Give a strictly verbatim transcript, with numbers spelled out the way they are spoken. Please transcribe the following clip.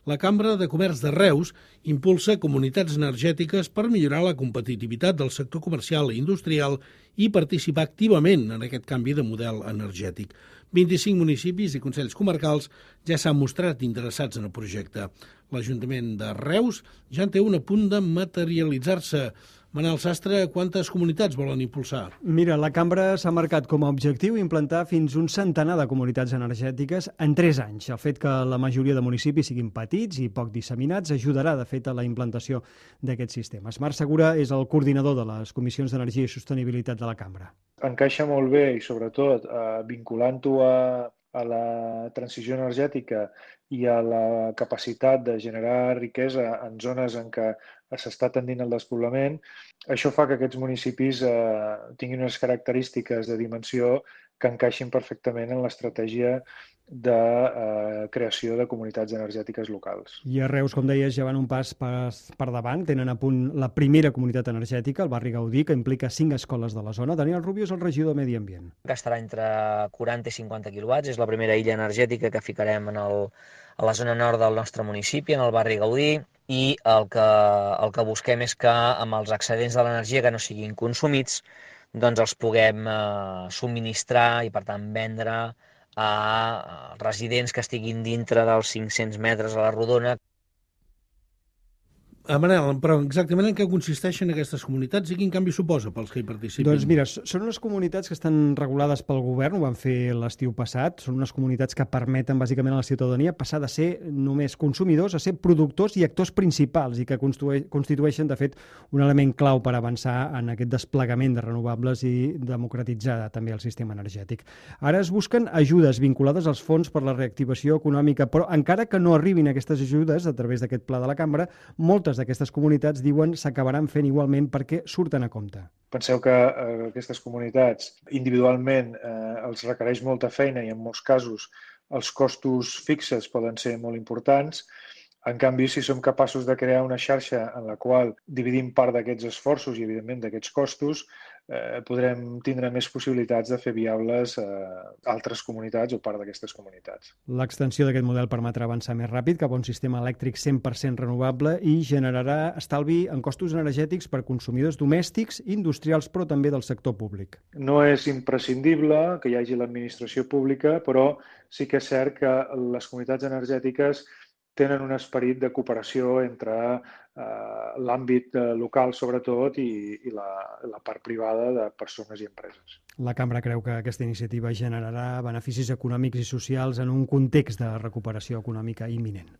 La Cambra de Comerç de Reus impulsa comunitats energètiques per millorar la competitivitat del sector comercial i industrial i participar activament en aquest canvi de model energètic. vint-i-cinc municipis i consells comarcals ja s'han mostrat interessats en el projecte. L'Ajuntament de Reus ja en té un a punt de materialitzar-se. Manel Sastre, quantes comunitats volen impulsar? Mira, la Cambra s'ha marcat com a objectiu implantar fins un centenar de comunitats energètiques en tres anys. El fet que la majoria de municipis siguin petits i poc disseminats ajudarà, de fet, a la implantació d'aquests sistemes. Marc Segura és el coordinador de les Comissions d'Energia i Sostenibilitat de la Cambra. Encaixa molt bé i, sobretot, eh, vinculant-ho a, a la transició energètica i a la capacitat de generar riquesa en zones en què s'està tendint el despoblament. Això fa que aquests municipis eh, tinguin unes característiques de dimensió que encaixin perfectament en l'estratègia de eh, creació de comunitats energètiques locals. I a Reus, com deies, ja van un pas per, per davant. Tenen a punt la primera comunitat energètica, el barri Gaudí, que implica cinc escoles de la zona. Daniel Rubio és el regidor de Medi Ambient. Gastarà entre quaranta i cinquanta quilowatts. És la primera illa energètica que ficarem en el, a la zona nord del nostre municipi, en el barri Gaudí, i el que, el que busquem és que amb els excedents de l'energia que no siguin consumits doncs els puguem eh, subministrar i per tant vendre a residents que estiguin dintre dels cinc-cents metres a la rodona. Ah, Manel, però exactament en què consisteixen aquestes comunitats i quin canvi suposa pels que hi participen? Doncs mira, són unes comunitats que estan regulades pel govern, ho van fer l'estiu passat, són unes comunitats que permeten bàsicament a la ciutadania passar de ser només consumidors a ser productors i actors principals i que constitueixen, de fet, un element clau per avançar en aquest desplegament de renovables i democratitzar també el sistema energètic. Ara es busquen ajudes vinculades als fons per la reactivació econòmica, però encara que no arribin aquestes ajudes a través d'aquest pla de la Cambra, moltes d'aquestes comunitats diuen s'acabaran fent igualment perquè surten a compte. Penseu que eh, aquestes comunitats individualment eh, els requereix molta feina i en molts casos els costos fixes poden ser molt importants. En canvi, si som capaços de crear una xarxa en la qual dividim part d'aquests esforços i, evidentment, d'aquests costos, eh, podrem tindre més possibilitats de fer viables eh, altres comunitats o part d'aquestes comunitats. L'extensió d'aquest model permetrà avançar més ràpid cap a un sistema elèctric cent per cent renovable i generarà estalvi en costos energètics per consumidors domèstics, industrials, però també del sector públic. No és imprescindible que hi hagi l'administració pública, però sí que és cert que les comunitats energètiques tenen un esperit de cooperació entre eh, l'àmbit local, sobretot, i, i la, la part privada de persones i empreses. La Cambra creu que aquesta iniciativa generarà beneficis econòmics i socials en un context de recuperació econòmica imminent.